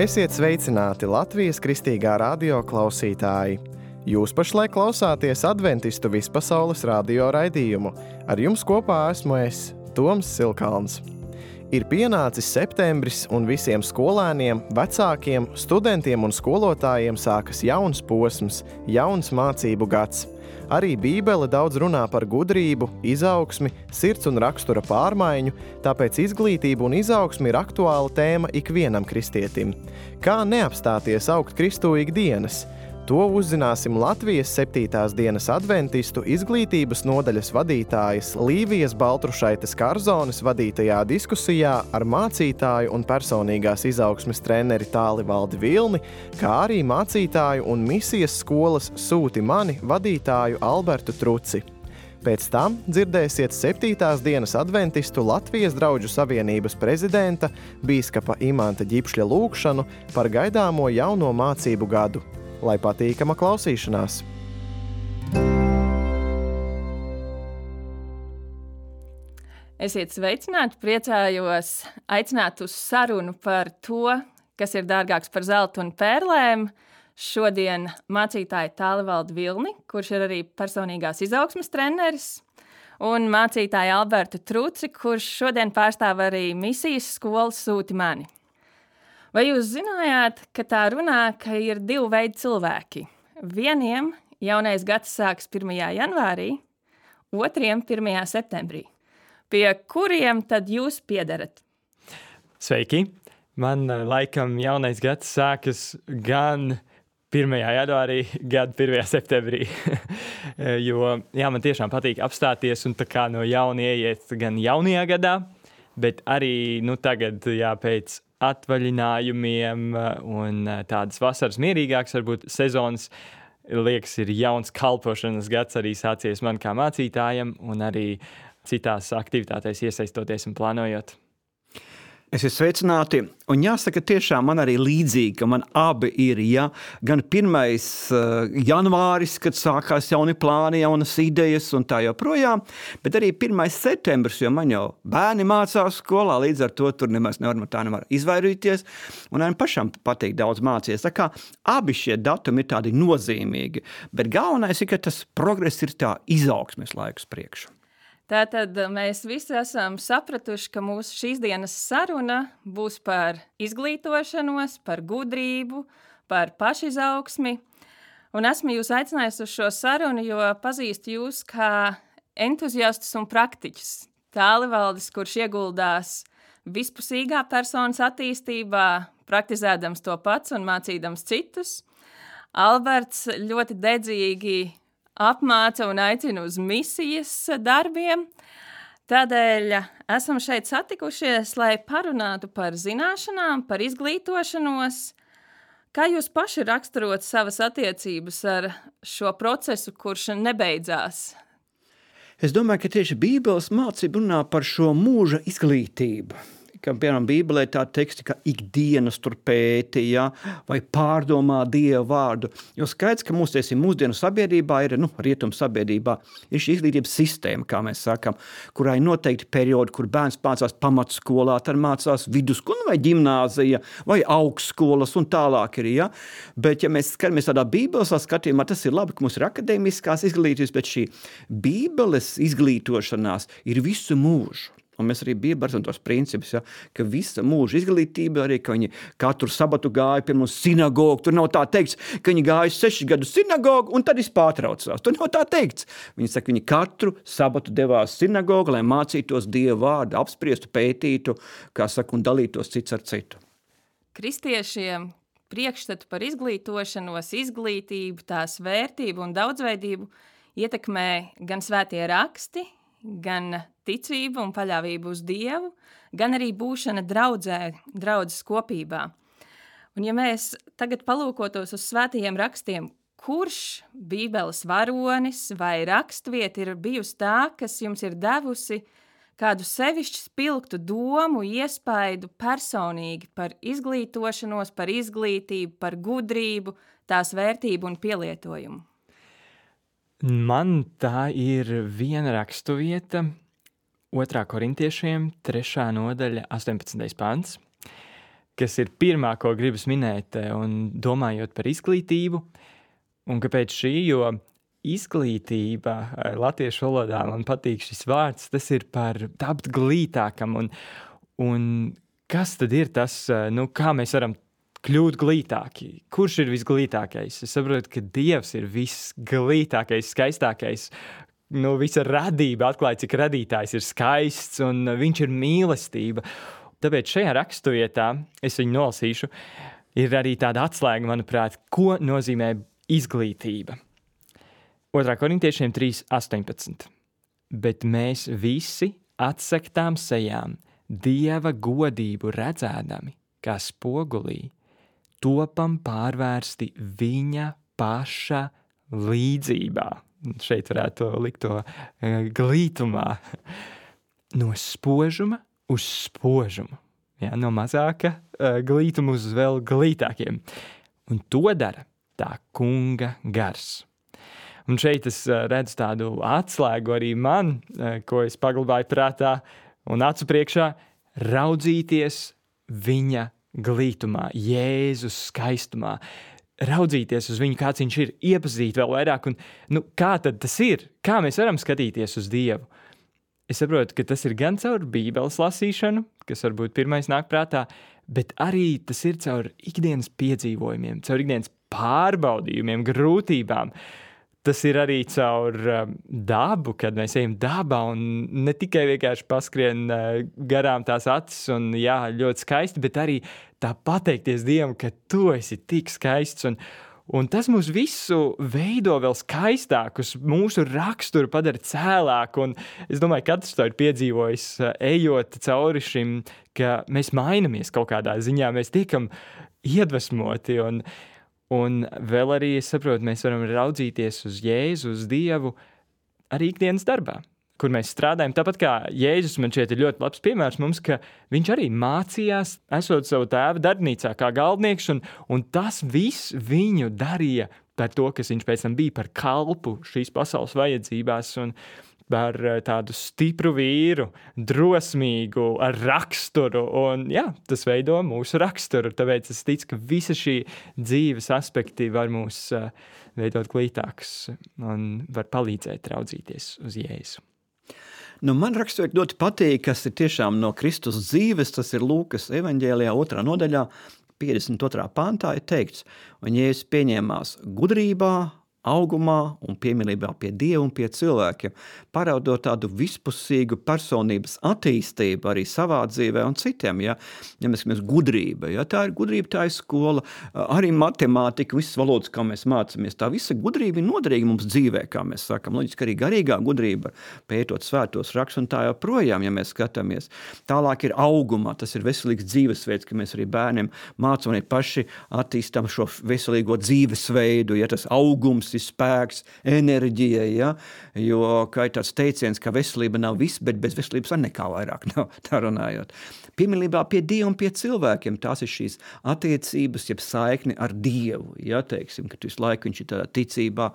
Esiet sveicināti Latvijas Kristīgā radio klausītāji! Jūs pašlaik klausāties Adventistu vispasaules radio raidījumu. Ar jums kopā esmu es, Toms Silkalns. Ir pienācis septembris un visiem skolēniem, vecākiem, studentiem un skolotājiem sākas jauns posms, jauns mācību gads. Arī Bībele daudz runā par gudrību, izaugsmi, sirds un rakstura pārmaiņu, tāpēc izglītība un izaugsme ir aktuāla tēma ikvienam kristietim. Kā neapstāties augt Kristū ikdienas? To uzzināsim Latvijas 7. dienas adventistu izglītības nodaļas vadītājas Līvijas Baltrušaites Karzones vadītajā diskusijā ar mācītāju un personīgās izaugsmes treneri Tālivaldi Vilni, kā arī mācītāju un misijas skolas Sūti mani vadītāju Albertu Truci. Pēc tam dzirdēsiet 7. dienas adventistu Latvijas Drauģu savienības prezidenta bīskapa Imanta Ģipšļa lūgšanu par gaidāmo jauno mācību gadu. Lai patīkama klausīšanās! Esiet sveicināti, priecājos aicināt uz sarunu par to, kas ir dārgāks par zeltu un pērlēm. Šodien mācītāja Tālivaldi Vilni, kurš ir arī personīgās izaugsmes treneris, un mācītāja Albertu Truci, kurš šodien pārstāv arī misijas skolas Sūti mani. Vai jūs zinājāt, ka tā runā, ka ir divi veidi cilvēki? Vieniem jaunais gads sāks 1. janvārī, otriem 1. septembrī. Pie kuriem tad jūs piederat? Sveiki! Man laikam jaunais gads sākas gan 1. janvārī, gan 1. septembrī. Jo man tiešām patīk apstāties un tā kā no jauna ieiet gan jaunajā gadā, bet arī tagad pēc atvaļinājumiem un tādas vasaras mierīgākas, varbūt sezonas, liekas, ir jauns kalpošanas gads arī sācies man kā mācītājam un arī citās aktivitātēs iesaistoties un plānojot. Esiet sveicināti, un jāsaka tiešām man arī līdzīgi, ka man abi ir, gan 1. janvāris, kad sākās jauni plāni, jaunas idejas un tā joprojām, bet arī 1. septembris, jo man jau bērni mācās skolā, līdz ar to tur nemaz nevar izvairīties, un arī pašam patīk daudz mācīties. Tā kā abi šie datumi ir tādi nozīmīgi, bet galvenais ir, ka tas progress ir tā izaugsmes laikus priekšu. Tātad mēs visi esam sapratuši, ka mūsu šīs dienas saruna būs par izglītošanos, par gudrību, par pašizaugsmi. Un esmu jūs aicinājusi uz šo sarunu, jo pazīstu jūs kā entuziastus un praktiķus. Tālivaldis, kurš ieguldās vispusīgā personas attīstībā, praktizēdams to pats un mācīdams citus. Alberts ļoti dedzīgi apmāca un aicina uz misijas darbiem. Tādēļ esam šeit satikušies, lai parunātu par zināšanām, par izglītošanos. Kā jūs paši raksturot savas attiecības ar šo procesu, kurš nebeidzās? Es domāju, ka tieši Bībeles mācība runā par šo mūža izglītību. Ka, piemēram, Bībelē tā teksti, ka ikdienas tur pēti, vai pārdomā Dieva vārdu. Jo skaidrs, ka mūsdienu sabiedrībā ir, rietumu sabiedrībā, ir šī izglītības sistēma, kā mēs sakam, kurā ir noteikti periodi, kur bērns mācās pamatskolā, tad mācās vidusskolā vai ģimnāzija, vai augstskolas un tālāk ir, Bet, ja mēs skatāmies tādā Bībeles skatījumā, tas ir labi, ka mums ir akadēmiskās izglītības, bet šī Bībeles izglītošanās ir visu mūžu. Un mēs arī bijām tos principus, ka visa mūža izglītība, arī ka viņi katru sabatu gāja pie mums sinagogu. Tur nav tā teikts, ka viņi gāja 6 gadus sinagogu un tad pārtraucās. Tur nav tā teikts. Viņi saka, viņi katru sabatu devās sinagogu, lai mācītos Dieva vārdu, apspriestu, pētītu, kā saka, un dalītos cits ar citu. Kristiešiem priekšstatu par izglītošanos, izglītību, tās vērtību un daudzveidību ietekmē gan svētie raksti, gan ticība un paļāvība uz Dievu, gan arī būšana draudzes kopībā. Un ja mēs tagad palūkotos uz svētajiem rakstiem, kurš Bībeles varonis vai rakstvieta ir bijusi tā, kas jums ir devusi kādu sevišķi spilgtu domu, iespaidu personīgi par izglītošanos, par izglītību, par gudrību, tās vērtību un pielietojumu? Man tā ir viena rakstuvieta, 2. korintiešiem, 3. nodaļa, 18. pants, kas ir pirmā, ko gribas minēt, un domājot par izglītību, un kāpēc šī, jo izglītība latviešu valodā, man patīk šis vārds, tas ir par tapt glītākam, un kas tad ir tas, kā mēs varam kļūt glītāki? Kurš ir visglītākais? Es saprotu, ka Dievs ir visglītākais, skaistākais. Visa radība atklāja, cik radītājs ir skaists un viņš ir mīlestība. Tāpēc šajā raksturvietā, es viņu nolasīšu, ir arī tāda atslēga, manuprāt, ko nozīmē izglītība. 2. Korintiešiem 3:18. Bet mēs visi atsektām sejām Dieva godību redzēdami, kā spogulī, topam pārvērsti viņa paša līdzībā. Šeit varētu likt to glītumā. No spožuma uz spožumu. No mazāka glītuma uz vēl glītākiem. Un to dara tā kunga gars. Un šeit es redzu tādu atslēgu arī man, ko es paglabāju prātā un acu priekšā, raudzīties viņa glītumā, Jēzus skaistumā, raudzīties uz viņu, kāds viņš ir, iepazīt vēl vairāk, un kā tad tas ir? Kā mēs varam skatīties uz Dievu? Es saprotu, ka tas ir gan caur Bībeles lasīšanu, kas varbūt pirmais nāk prātā, bet arī tas ir caur ikdienas piedzīvojumiem, caur ikdienas pārbaudījumiem, grūtībām. Tas ir arī caur dabu, kad mēs ejam dabā un ne tikai vienkārši paskrien garām tās acis un jā, ļoti skaisti, bet arī tā pateikties Dievam, ka tu esi tik skaists un tas mūs visu veido vēl skaistākus, mūsu raksturu padara cēlāku un es domāju, katrs to ir piedzīvojis, ejot cauri šim, ka mēs mainamies kaut kādā ziņā, mēs tiekam iedvesmoti un vēl arī, es saprotu, mēs varam raudzīties uz Jēzu, uz Dievu arī ikdienas darbā, kur mēs strādājam. Tāpat kā Jēzus man šeit ir ļoti labs piemērs mums, ka viņš arī mācījās, esot savu tēvu darbnīcā kā galdnieks, un tas viss viņu darīja par to, kas viņš pēc tam bija par kalpu šīs pasaules vajadzībās un par tādu stipru vīru, drosmīgu, ar raksturu, un jā, tas veido mūsu raksturu, tāpēc es ticu, ka visa šī dzīves aspekti var mūs veidot glītākus un var palīdzēt raudzīties uz Jēzu. Man raksturīgi ļoti patīk, kas ir tiešām no Kristus dzīves, tas ir Lūkas evaņģēlijā 2. nodaļā, 52. pantā ir teikts, un Jēzus pieņēmās gudrībā, augumā un piemīlībā pie Dieva un pie cilvēkiem, parādot tādu vispusīgu personības attīstību arī savā dzīvē un citiem, ja mēs skatāmies gudrība, ja tā ir gudrība, tā ir skola, arī matemātika, visas valodas, kā mēs mācāmies, tā visa gudrība ir noderīga mums dzīvē, kā mēs sakam, loģiski arī garīgā gudrība, pētot svētos rakstus un tā joprojām, ja mēs skatāmies. Tālāk ir augumā, tas ir veselīgs dzīvesveids, ka mēs arī bērniem mācām un paši attīstam šo veselīgo dzīvesveidu, ja tas augums ir spēks, enerģija, ja? Jo kā ir tāds teiciens, ka veselība nav viss, bet bez veselības var nekā vairāk nav, tā runājot. Piemīlībā pie Dieva un pie cilvēkiem, tās ir šīs attiecības, jeb saikni ar Dievu, ja, teiksim, ka visu laiku viņš ir tādā ticībā,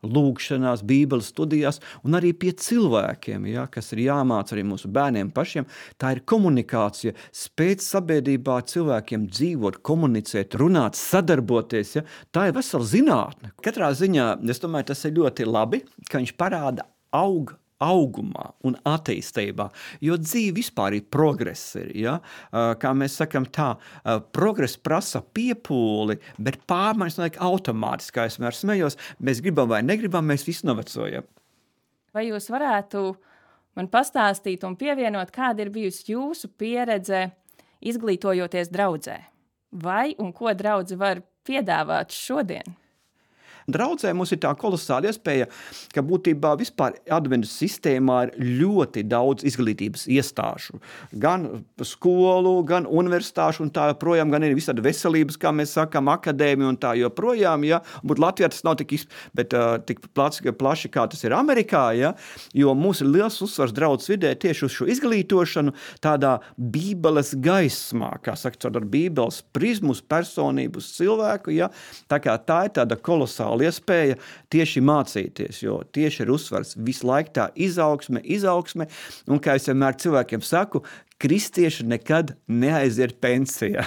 lūgšanās, Bībeles studijās, un arī pie cilvēkiem, ja, kas ir jāmāc arī mūsu bērniem pašiem, tā ir komunikācija, spēt sabiedrībā cilvēkiem dzīvot, komunicēt, runāt, sadarboties, ja, tā ir vesela zinātne. Katrā ziņā, es domāju, tas ir ļoti labi, ka viņš parāda augumā un attīstībā, jo dzīve vispār ir progress, ja? Kā mēs sakam tā, progress prasa piepūli, bet pārmaiņas notiek automātiski, kā es vienmēr smējos, mēs gribam vai negribam, mēs visi novecojam. Vai jūs varētu man pastāstīt un pievienot, kāda ir bijusi jūsu pieredze izglītojoties draudzē? Vai un ko draudze var piedāvāt šodien? Draudzē mums ir tā kolosāla iespēja, ka būtībā vispār adventu sistēmā ir ļoti daudz izglītības iestāžu. Gan skolu, gan universitāšu un tā joprojām, gan ir visādi veselības, kā mēs sakam, akadēmija un tā joprojām, ja. Būt Latvijā tas nav tik plaši, kā tas ir Amerikā, ja. Jo mums ir liels uzsvars draudzes vidē tieši uz šo izglītošanu tādā Bībeles gaismā, kā saka, ar Bībeles prizmu uz personību, uz cilvēku, ja. Tā kā tā ir tāda kolosāla iespēja tieši mācīties, jo tieši ir uzsvars visu laiku tā izaugsme, un kā es vienmēr cilvēkiem saku, kristieši nekad neaiziet pensijā.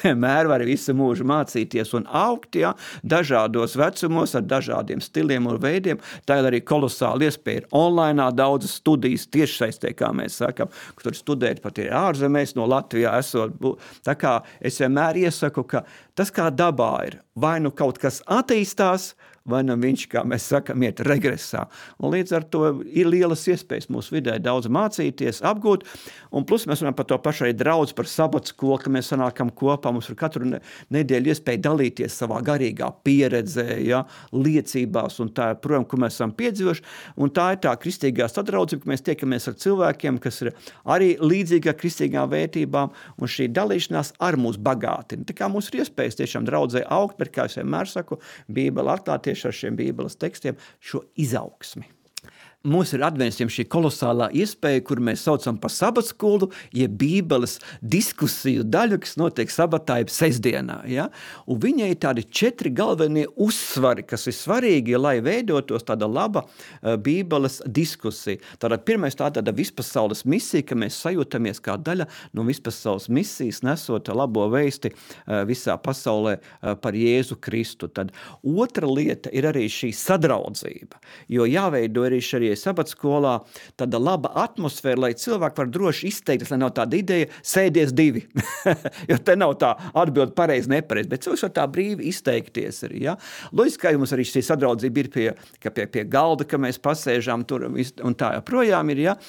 Vienmēr var visu mūžu mācīties un augt, ja, dažādos vecumos, ar dažādiem stiliem un veidiem. Tā ir arī kolosāla iespēja. Ir online daudzas studijas tiešsaistē, kā mēs sakam, kur studēt pat ir ārzemēs no Latvijā esot. Tā kā es vienmēr iesaku, ka tas kā dabā ir, vai nu kaut kas attīstās, vai nu viņš, kā mēs sakam, iet regresā. Un līdz ar to ir lielas iespējas mūsu vidē daudz mācīties, apgūt, un plus mēs runājam par to pašu arī draudz, par sabatskolu, ka mēs sanākam kopā, mums ir katru nedēļu iespēja dalīties savā garīgā pieredzē, ja, liecībās, un tā, protams, ko mēs esam piedzīvojuši, un tā ir tā kristīgā sadraudzība, ka mēs tiekamies ar cilvēkiem, kas ir arī līdzīga kristīgām vērtībām, un šī dalīšanās ar mūs bagātina. Tā kā mums ir iespējas tiešām draudzē augt, bet, kā es vienmēr saku, Bībele atklāt tieši ar šiem Bībeles tekstiem šo izaugsmi. Mums ir adventistiem šī kolosālā iespēja, kur mēs saucam par sabatskolu, jeb Bībeles diskusiju daļu, kas notiek sabatā, jeb sestdienā. Ja? Un viņai ir tādi 4 galvenie uzsvari, kas ir svarīgi, lai veidotos tāda laba Bībeles diskusija. Tātad pirmais tāda vispasaules misija, ka mēs sajūtamies kā daļa no vispasaules misijas, nesot labo vēsti visā pasaulē par Jēzu Kristu. Tad otra lieta ir arī šī sadraudzība, jo jāveido arī šī sabatskolā tāda laba atmosfēra, lai cilvēki var droši izteikties, lai nav tāda ideja sēdies 2. Jo te nav tā atbild pareizi, nepareizi, bet cilvēks var tā brīvi izteikties arī. Ja? Loģiski, ka mums arī šī sadraudzība ir pie galda, ka mēs pasēžām tur un tā joprojām ir, ja?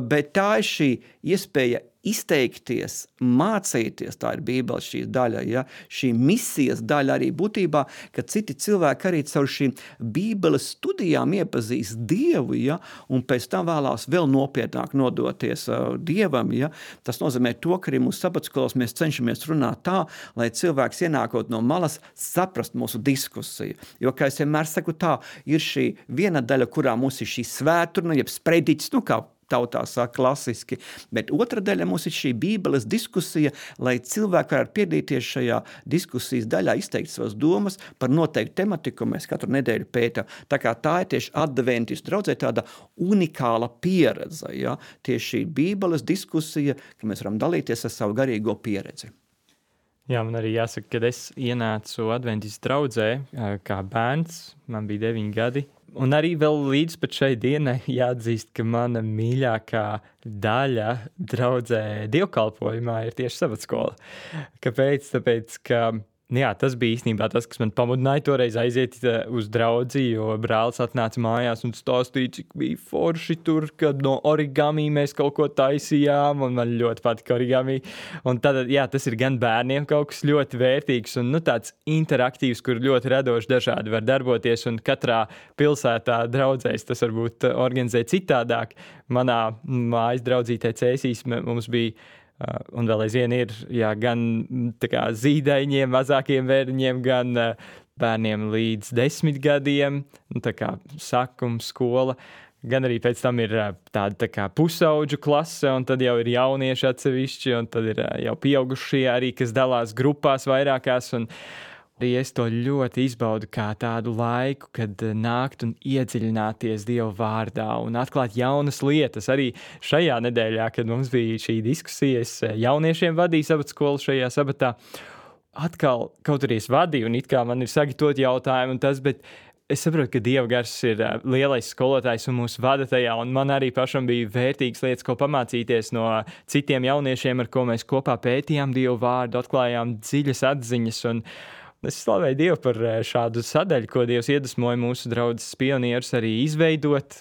Bet tā ir šī iespēja izteikties, mācīties, tā ir Bībeles šī daļa, ja? Šī misijas daļa arī būtībā, ka citi cilvēki arī caur šīm Bībeles studijām iepazīst Dievu, ja? Un pēc tam vēlās vēl nopietnāk nodoties Dievam. Ja? Tas nozīmē to, ka arī mūsu sabatskolos mēs cenšamies runāt tā, lai cilvēks ienākot no malas saprast mūsu diskusiju. Jo, kā es vienmēr saku, tā ir šī viena daļa, kurā mums ir šī svētturna, jeb sprediķis, kā tautā saka klasiski, bet otra daļa mums ir šī Bībeles diskusija, lai cilvēki varētu piedalīties šajā diskusijas daļā, izteikt savas domas par noteiktu tematiku, ko mēs katru nedēļu pētām. Tā kā tā ir tieši adventistu draudzē tāda unikāla pieredze, ja? Tieši šī Bībeles diskusija, ka mēs varam dalīties ar savu garīgo pieredzi. Jā, man arī jāsaka, kad es ienācu adventistu draudzē kā bērns, man bija 9 gadi, un arī vēl līdz pat šai dienai jāatzīst, ka mana mīļākā daļa draudzē dievkalpojumā ir tieši sabatskola. Kāpēc? Tāpēc, ka jā, tas bija īstenībā tas, kas man pamudināja toreiz aiziet uz draudzi, jo brālis atnāca mājās un stāstīja, cik bija forši tur, kad no origami mēs kaut ko taisījām, un man ļoti patika origami. Un tad, jā, tas ir gan bērniem kaut kas ļoti vērtīgs un tāds interaktīvs, kur ļoti radoši dažādi var darboties, un katrā pilsētā draudzēs tas varbūt organizē citādāk. Manā mājas draudzītē Cēsīs mums bija un vēl aizvien ir gan zīdaiņiem, mazākiem bērniņiem, gan bērniem līdz 10 gadiem, sākums skola, gan arī pēc tam ir tāda pusauģu klase, un tad jau ir jaunieši atsevišķi, un tad ir jau pieaugušie arī, kas dalās grupās vairākās, un arī es to ļoti izbaudu kā tādu laiku, kad nākt un iedziļināties Dieva vārdā un atklāt jaunas lietas. Arī šajā nedēļā, kad mums bija šī diskusija, es jauniešiem vadīju sabatskolu šajā sabatā. Atkal kaut arī es vadīju, un it kā man ir sagatavot jautājumu un tas, bet es saprotu, ka Dieva gars ir lielais skolotājs un mūs vada tajā, un man arī pašam bija vērtīgas lietas, ko pamācīties no citiem jauniešiem, ar ko mēs kopā pētījām Dieva vārdu, atklājām dziļas atziņas, un es slavēju Dievu par šādu sadaļu, ko Dievs iedvesmoja mūsu draudzes pionierus arī izveidot,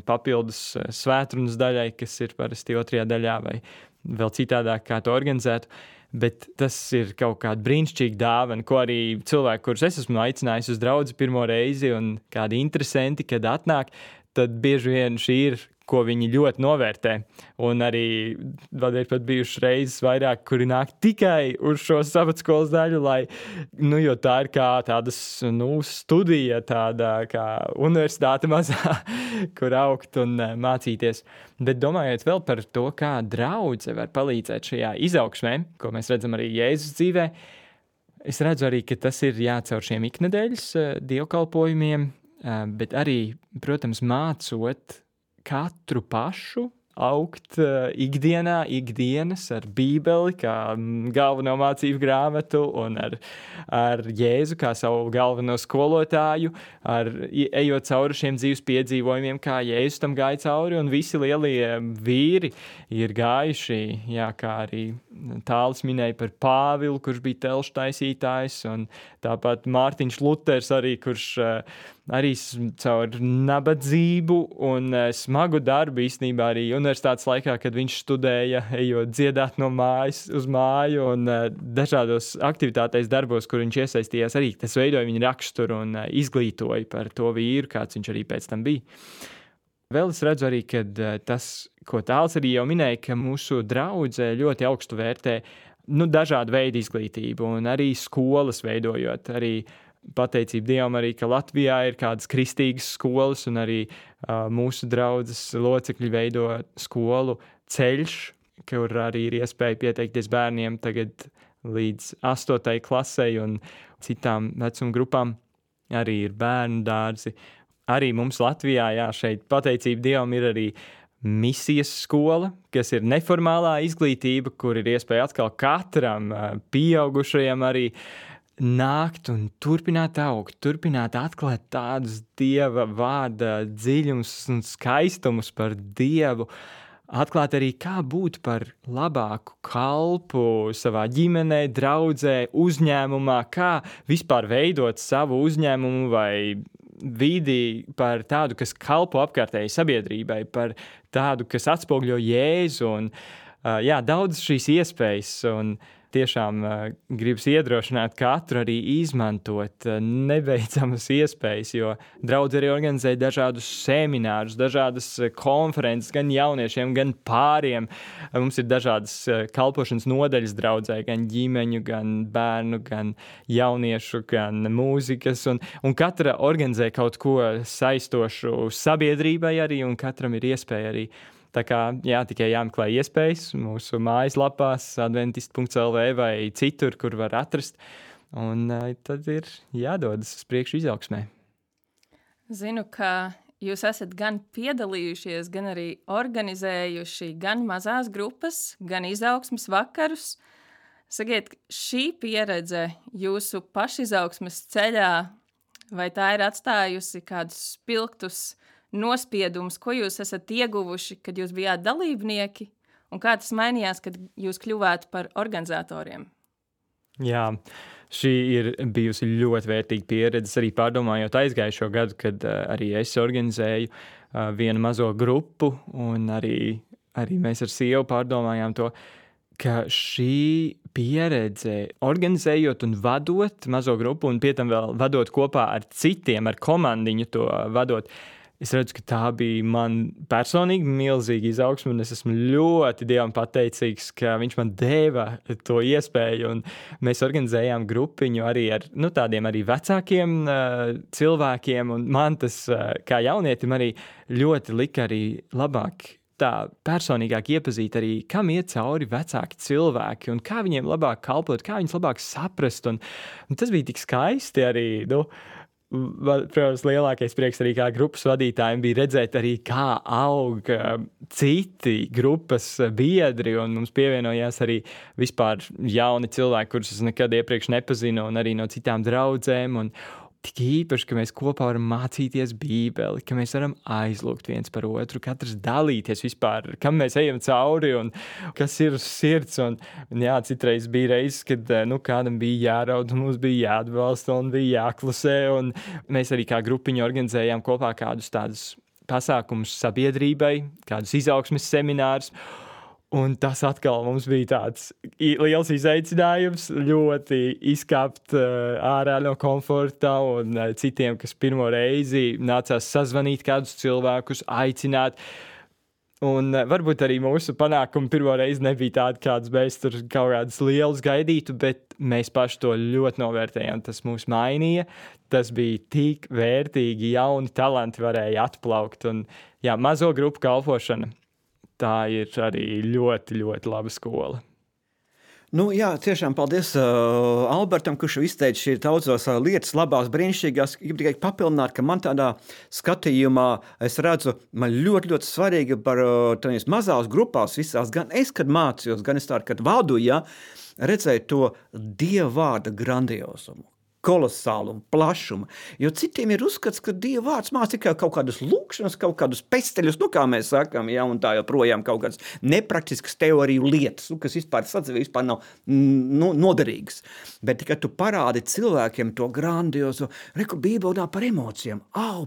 papildus svētrunas daļai, kas ir parasti 2. daļā vai vēl citādāk, kā to organizētu. Bet tas ir kaut kāda brīnišķīga dāvana, ko arī cilvēki, kurus es esmu aicinājis uz draudzi pirmo reizi, un kādi interesanti, kad atnāk, tad bieži vien šī ir, ko viņi ļoti novērtē. Un arī vēl ir pat bijušas reizes vairāk, kuri nāk tikai uz šo sabatskolas daļu, lai, jo tā ir kā tādas, studija, tāda kā universitāte mazā, kur augt un mācīties. Bet domājot vēl par to, kā draudze var palīdzēt šajā izaugsmē, ko mēs redzam arī Jēzus dzīvē, es redzu arī, ka tas ir jācaur šiem iknedēļas dievkalpojumiem, bet arī, protams, mācot katru pašu augt ikdienas ar Bībeli kā galveno mācību grāmatu un ar Jēzu kā savu galveno skolotāju, ejot cauri šiem dzīves piedzīvojumiem, kā Jēzus tam gāja cauri, un visi lielie vīri ir gājuši, kā arī Tālis minēja par Pāvilu, kurš bija telšu taisītājs, un tāpat Mārtiņš Luters arī, kurš arī caur nabadzību un smagu darbu īstenībā arī universitātes laikā, kad viņš studēja, ejot dziedāt no mājas uz māju un dažādos aktivitātēs darbos, kur viņš iesaistījās arī. Tas veidoja viņa raksturu un izglītoja par to vīru, kāds viņš arī pēc tam bija. Vēl es redzu arī, ka tas, ko Tāls arī jau minēja, ka mūsu draudzē ļoti augstu vērtē dažādu veidu izglītību un arī skolas veidojot, arī pateicību Dievam arī, ka Latvijā ir kādas kristīgas skolas un arī mūsu draudzes locekļi veido skolu Ceļš, kur arī ir iespēja pieteikties bērniem tagad līdz 8. klasei un citām vecuma grupām. Arī ir bērnu dārzi. Arī mums Latvijā, šeit pateicība Dievam ir arī misijas skola, kas ir neformālā izglītība, kur ir iespēja atkal katram pieaugušajam arī nākt un turpināt augt, turpināt atklāt tādus Dieva vārda dziļumus un skaistumus par Dievu, atklāt arī, kā būt par labāku kalpu savā ģimenē, draudzē, uzņēmumā, kā vispār veidot savu uzņēmumu vai vidi par tādu, kas kalpo apkārtējai sabiedrībai, par tādu, kas atspoguļo Jēzu un daudz šīs iespējas un tiešām gribas iedrošināt katru arī izmantot nebeidzamas iespējas, jo draudze arī organizē dažādus seminārus, dažādas konferences gan jauniešiem, gan pāriem. Mums ir dažādas kalpošanas nodaļas draudzē, gan ģimeņu, gan bērnu, gan jauniešu, gan mūzikas, un katra organizē kaut ko saistošu sabiedrībai arī, un katram ir iespēja arī. Tā kā, tikai jāmeklē iespējas mūsu mājaslapās adventist.lv vai citur, kur var atrast, un tad ir jādodas uz priekšu izaugsmē. Zinu, ka jūs esat gan piedalījušies, gan arī organizējuši gan mazās grupas, gan izaugsmes vakarus. Sakiet, šī pieredze jūsu pašizaugsmes ceļā, vai tā ir atstājusi kādus spilgtus nospiedums, ko jūs esat ieguvuši, kad jūs bijāt dalībnieki, un kā tas mainījās, kad jūs kļuvāt par organizatoriem? Jā, šī ir bijusi ļoti vērtīga pieredze, arī pārdomājot aizgājušo gadu, kad arī es organizēju vienu mazo grupu, un arī mēs ar sievu pārdomājām to, ka šī pieredze organizējot un vadot mazo grupu, un pie tam vēl vadot kopā ar citiem, ar komandiņu to vadot, es redzu, ka tā bija man personīgi milzīga izaugsme, un es esmu ļoti Dievam pateicīgs, ka viņš man deva to iespēju, un mēs organizējām grupiņu arī ar tādiem arī vecākiem cilvēkiem, un man tas kā jaunietim arī ļoti lika arī labāk tā personīgāk iepazīt arī, kam iet cauri vecāki cilvēki, un kā viņiem labāk kalpot, kā viņus labāk saprast, un tas bija tik skaisti arī, protams, lielākais prieks arī kā grupas vadītājiem bija redzēt arī, kā aug citi grupas biedri, un mums pievienojās arī vispār jauni cilvēki, kurus es nekad iepriekš nepazinu, un arī no citām draudzēm, un tik īpaši, ka mēs kopā varam mācīties Bībeli, ka mēs varam aizlūgt viens par otru, katrs dalīties vispār, kam mēs ejam cauri un kas ir uz sirds. Un citreiz bija reizes, kad kādam bija jāraud, un mums bija jāatbalsta un bija jāklusē. Un mēs arī kā grupiņu organizējām kopā kādus tādus pasākumus sabiedrībai, kādus izaugsmes seminārus. Un tas atkal mums bija tāds liels izaicinājums, ļoti izkāpt ārā no komforta, un citiem, kas pirmo reizi nācās sazvanīt kādus cilvēkus, aicināt. Un varbūt arī mūsu panākumi pirmo reizi nebija tādi, kādas mēs tur kaut kādas lielas gaidītu, bet mēs paši to ļoti novērtējām. Tas mūs mainīja, tas bija tik vērtīgi, jauni talanti varēja atplaukt. Un mazo grupu kalpošana. Tā ir arī ļoti, ļoti laba skola. Nu, jā, tiešām paldies Albertam, kurš izteica šī daudzās lietas, labās, brīnišķīgās. Gribu tikai papildināt, ka man tādā skatījumā es redzu, man ļoti, ļoti svarīgi par tādās mazās grupās visās, gan es, kad mācījos, gan es tādu, kad vadu, ja, redzēju to Dieva vārda grandiozumu, kolosālumu, plašumu. Jo citiem ir uzskats, ka Dieva vārds māca tikai kaut kādas lūkšanas, kaut kādus pesteļus, nu kā mēs sakām, ja, un tā joprojām kaut kādas nepraktiskas teoriju lietas, kas vispār sadzīvē vispār nav noderīgas. Bet tikai tu parādi cilvēkiem to grandiozo, reku Bībelē par emocijām,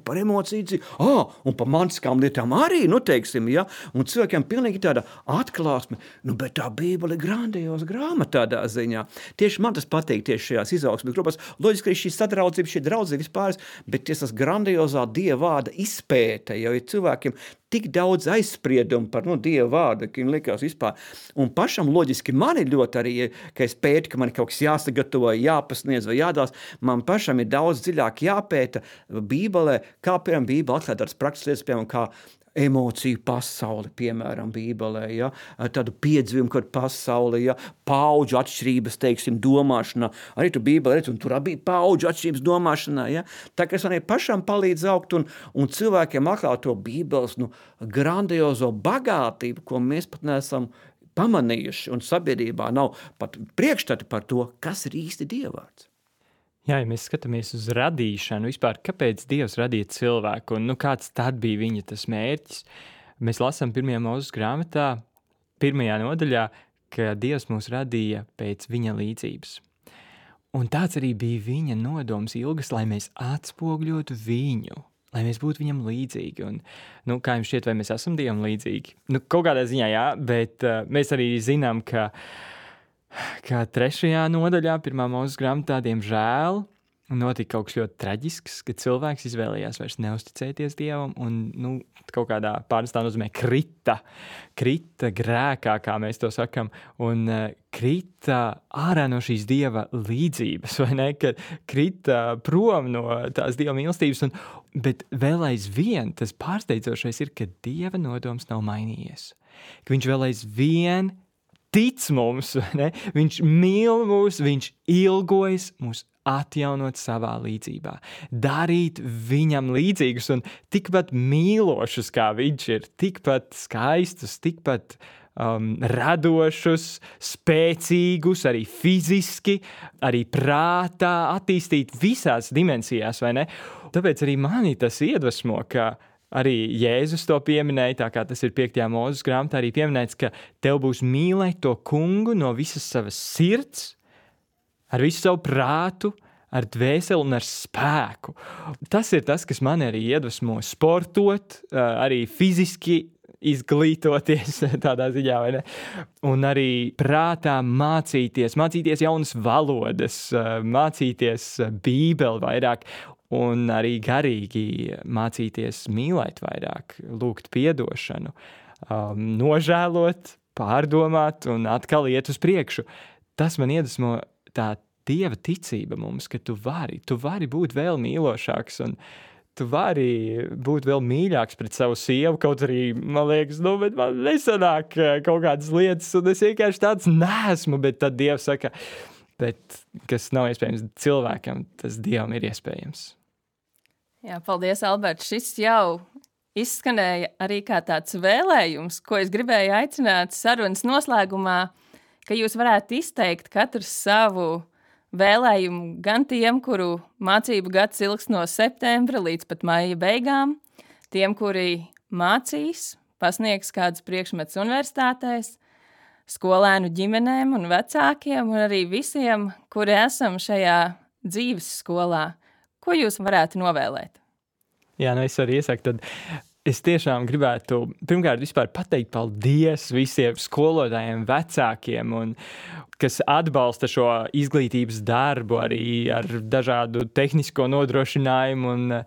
par emociju dzīvi, un par mantiskām lietām arī, nu teiksim, ja, un cilvēkiem pilnīgi tāda atklāsme, nu bet tā Bībele ir grandioza grāmata tādā ziņā. Tieši man tas patīk tieši šajās izaugsmes grupās. Loģiski arī šī sadraudzība, šī draudzība vispār, bet tas grandioza Dieva vārda izpēte, jo ir cilvēkiem tik daudz aizspriedumu par Dieva vārdu, ka viņam likās vispār. Un pašam loģiski man ir ļoti arī, ka es pētu, ka man kaut kas jāsagatavo, jāpasniedz vai jādās, man pašam ir daudz dziļāk jāpēta Bībelē, kā piemēram Bībele atklāt tādas prakses lietas, piemēram, kā emociju pasauli, piemēram, Bībelē, ja? Tādu piedzīvumu, kad pasauli, ja? Paudžu atšķirības, teiksim, domāšanā. Arī tu Bībelē redz, un tur bija paudžu atšķirības domāšanā. Ja? Tā kā es arī pašam palīdz augt un cilvēkiem atklāt to Bībeles grandiozo bagātību, ko mēs pat neesam pamanījuši, un sabiedrībā nav pat priekšstati par to, kas ir īsti Dievvārds. Jā, ja mēs skatāmies uz radīšanu, vispār kāpēc Dievs radīja cilvēku un kāds tad bija viņa tas mērķis, mēs lasām 1. Mūzes grāmatā, 1. nodaļā, ka Dievs mūs radīja pēc viņa līdzības. Un tāds arī bija viņa nodoms ilgas, lai mēs atspogļotu viņu, lai mēs būtu viņam līdzīgi. Un, kā jums šķiet, vai mēs esam Dievam līdzīgi? Kaut kādā ziņā jā, bet mēs arī zinām, ka 3. nodaļā, 1. Mūzes grāmatā, diemžēl, notika kaut kas ļoti traģisks, kad cilvēks izvēlējās vairs neusticēties Dievam un kaut kādā pārnestā nozīmē krita grēkā, kā mēs to sakam, un krita ārā no šīs Dieva līdzības, vai ne, ka krita prom no tās Dieva mīlestības, bet vēl aizvien tas pārsteidzošais ir, ka Dieva nodoms nav mainījies, ka viņš vēl aizvien tic mums, ne? Viņš mīl mūs, viņš ilgojas mūs atjaunot savā līdzībā, darīt viņam līdzīgus un tikpat mīlošus, kā viņš ir, tikpat skaistus, tikpat radošus, spēcīgus, arī fiziski, arī prātā, attīstīt visās dimensijās, vai ne? Tāpēc arī mani tas iedvesmo, ka arī Jēzus to pieminēja, tā kā tas ir 5. Mūzes grāmatā arī pieminēts, ka tev būs mīlēt to kungu no visas savas sirds, ar visu savu prātu, ar dvēseli un ar spēku. Tas ir tas, kas man arī iedvesmo sportot, arī fiziski izglītoties tādā ziņā, vai ne? Un arī prātā mācīties jaunas valodas, mācīties Bībeli vairāk, un arī garīgi mācīties mīlēt vairāk, lūgt piedošanu, nožēlot, pārdomāt un atkal iet uz priekšu. Tas man iedvesmo tā Dieva ticība mums, ka tu vari būt vēl mīlošāks un tu vari būt vēl mīļāks pret savu sievu, kaut arī, man liekas, bet man nesanāk kaut kādas lietas, un es vienkārši tāds neesmu, bet tad Dievs saka, bet kas nav iespējams cilvēkam, tas Dievam ir iespējams. Jā, paldies, Alberts. Šis jau izskanēja arī kā tāds vēlējums, ko es gribēju aicināt sarunas noslēgumā, ka jūs varētu izteikt katrs savu vēlējumu gan tiem, kuru mācību gads ilgs no septembra līdz pat maija beigām, tiem, kuri mācīs, pasniegs kādus priekšmetus universitātēs, skolēnu ģimenēm un vecākiem un arī visiem, kuri esam šajā dzīves skolā. Ko jūs varētu novēlēt? Jā, es arī iesaku, tad es tiešām gribētu pirmkārt vispār pateikt paldies visiem skolotājiem, vecākiem, un kas atbalsta šo izglītības darbu arī ar dažādu tehnisko nodrošinājumu. Un,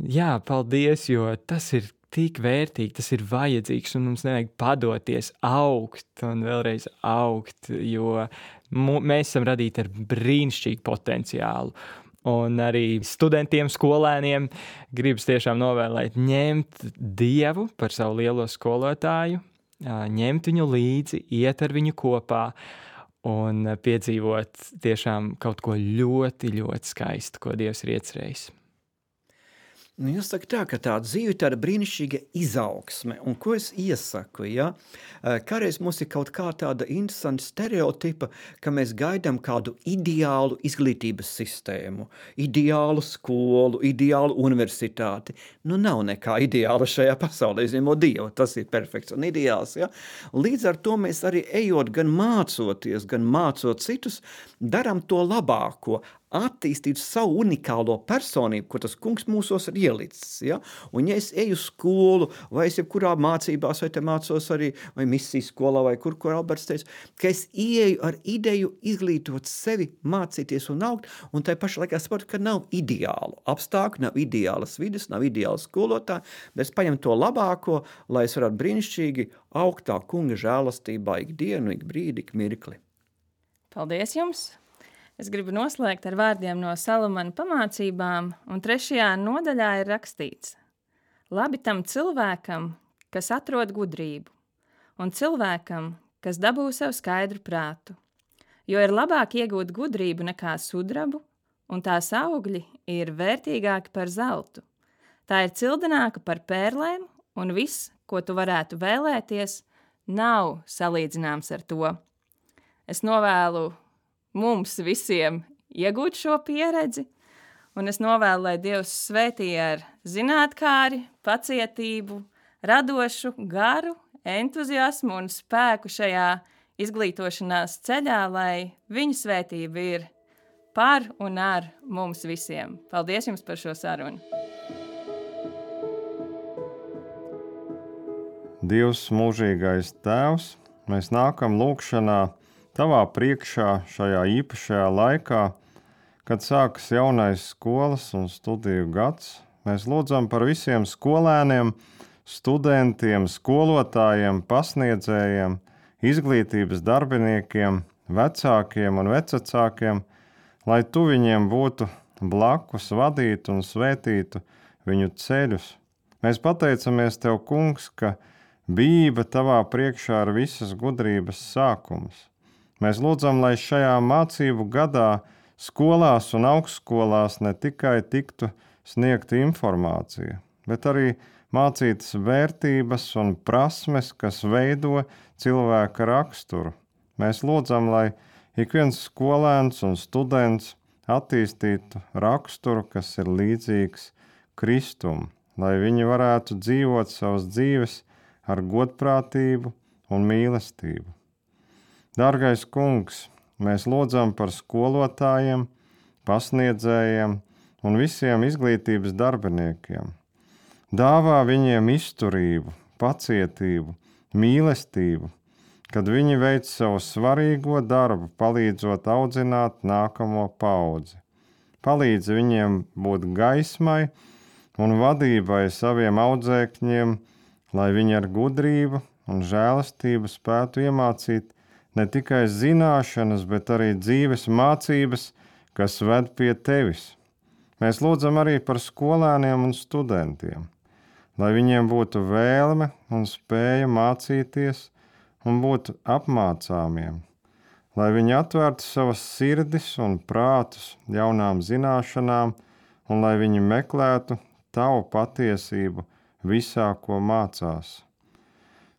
jā, paldies, jo tas ir tik vērtīgi, tas ir vajadzīgs, un mums nevajag padoties, augt un vēlreiz augt, jo mēs esam radīti ar brīnišķīgu potenciālu. Un arī studentiem, skolēniem gribas tiešām novēlēt ņemt Dievu par savu lielo skolotāju, ņemt viņu līdzi, iet ar viņu kopā un piedzīvot tiešām kaut ko ļoti, ļoti skaistu, ko Dievs ir iecerējis. Nu, jūs sakat tā, ka tā dzīve ir tāda brīnišķīga izaugsme, un ko es iesaku, ja? Kādreiz mums ir kaut kā tāda interesanta stereotipa, ka mēs gaidām kādu ideālu izglītības sistēmu, ideālu skolu, ideālu universitāti. Nu, nav nekā ideāla šajā pasaulē, izņemot Dievu, tas ir perfekts un ideāls, ja? Līdz ar to mēs arī ejot, gan mācoties, gan mācot citus, darām to labāko, attīstīt savu unikālo personību, ko tas kungs mūsos ir ielicis. Ja? Un ja es eju skolu, vai es jebkurā mācībās, vai te mācos arī, vai misijas skolā, vai kur Alberts teica, ka es ieeju ar ideju izglītot sevi, mācīties un augt, un tai pašā laikā saprotu, ka nav ideālu apstākļu, nav ideālas vides, nav ideāla skolotāja, bet es paņemu to labāko, lai es varētu brīnišķīgi augt tā kunga žēlastībā ik dienu, ik brīdi, ik mirkli. Paldies jums! Es gribu noslēgt ar vārdiem no Salamana pamācībām, un 3. nodaļā ir rakstīts: Labi tam cilvēkam, kas atrod gudrību, un cilvēkam, kas dabū sev skaidru prātu, jo ir labāk iegūt gudrību nekā sudrabu, un tās augļi ir vērtīgāki par zeltu. Tā ir cildināka par pērlēm, un viss, ko tu varētu vēlēties, nav salīdzināms ar to. Es novēlu mums visiem iegūt šo pieredzi, un es novēlu, lai Dievs svētī ar zinātkāri, pacietību, radošu garu, entuziasmu un spēku šajā izglītošanās ceļā, lai viņa svētība ir par un ar mums visiem. Paldies jums par šo sarunu! Dievs mūžīgais Tēvs, mēs nākam lūgšanā Tavā priekšā šajā īpašajā laikā, kad sākas jaunais skolas un studiju gads. Mēs lūdzam par visiem skolēniem, studentiem, skolotājiem, pasniedzējiem, izglītības darbiniekiem, vecākiem un vecvecākiem, lai Tu viņiem būtu blakus, vadītu un svētītu viņu ceļus. Mēs pateicamies Tev, Kungs, ka bijība Tavā priekšā ir visas gudrības sākums. Mēs lūdzam, lai šajā mācību gadā skolās un augstskolās ne tikai tiktu sniegta informācija, bet arī mācītas vērtības un prasmes, kas veido cilvēka raksturu. Mēs lūdzam, lai ik viens skolēns un students attīstītu raksturu, kas ir līdzīgs Kristum, lai viņi varētu dzīvot savas dzīves ar godprātību un mīlestību. Dārgais Kungs, mēs lūdzam par skolotājiem, pasniedzējiem un visiem izglītības darbiniekiem. Dāvā viņiem izturību, pacietību, mīlestību, kad viņi veic savu svarīgo darbu, palīdzot audzināt nākamo paudzi. Palīdz viņiem būt gaismai un vadībai saviem audzēkņiem, lai viņi ar gudrību un žēlastību spētu iemācīt ne tikai zināšanas, bet arī dzīves mācības, kas ved pie Tevis. Mēs lūdzam arī par skolēniem un studentiem, lai viņiem būtu vēlme un spēja mācīties un būt apmācāmiem, lai viņi atvērtu savas sirdis un prātus jaunām zināšanām un lai viņi meklētu Tavu patiesību visā, ko mācās.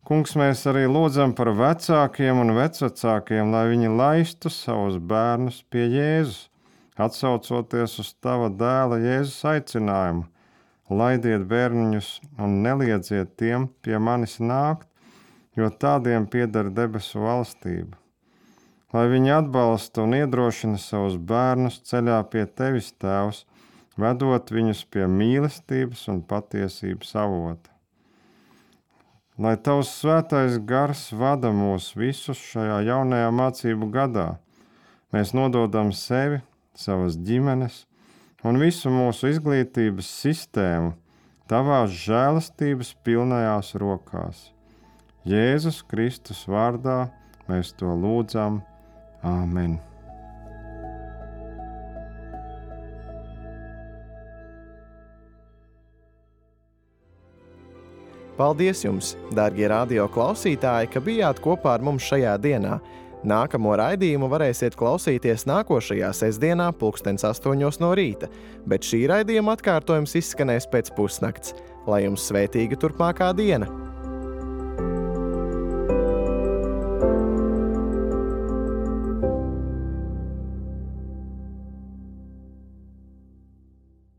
Kungs, mēs arī lūdzam par vecākiem un vecvecākiem, lai viņi laistu savus bērnus pie Jēzus, atsaucoties uz Tava dēla Jēzus aicinājumu. Laidiet bērniņus un neliedziet tiem pie manis nākt, jo tādiem pieder debesu valstība. Lai viņi atbalsta un iedrošina savus bērnus ceļā pie Tevis, Tēvs, vedot viņus pie mīlestības un patiesības avota. Lai Tavs svētais gars vada mūs visus šajā jaunajā mācību gadā, mēs nododam sevi, savas ģimenes un visu mūsu izglītības sistēmu Tavās žēlastības pilnajās rokās. Jēzus Kristus vārdā mēs to lūdzam. Āmen. Paldies jums, dārgie radio klausītāji, ka bijāt kopā ar mums šajā dienā. Nākamo raidījumu varēsiet klausīties nākošajā sestdienā 8:00 no rīta, bet šī raidījuma atkārtojums izskanēs pēc pusnakts. Lai jums svētīga turpmākā diena!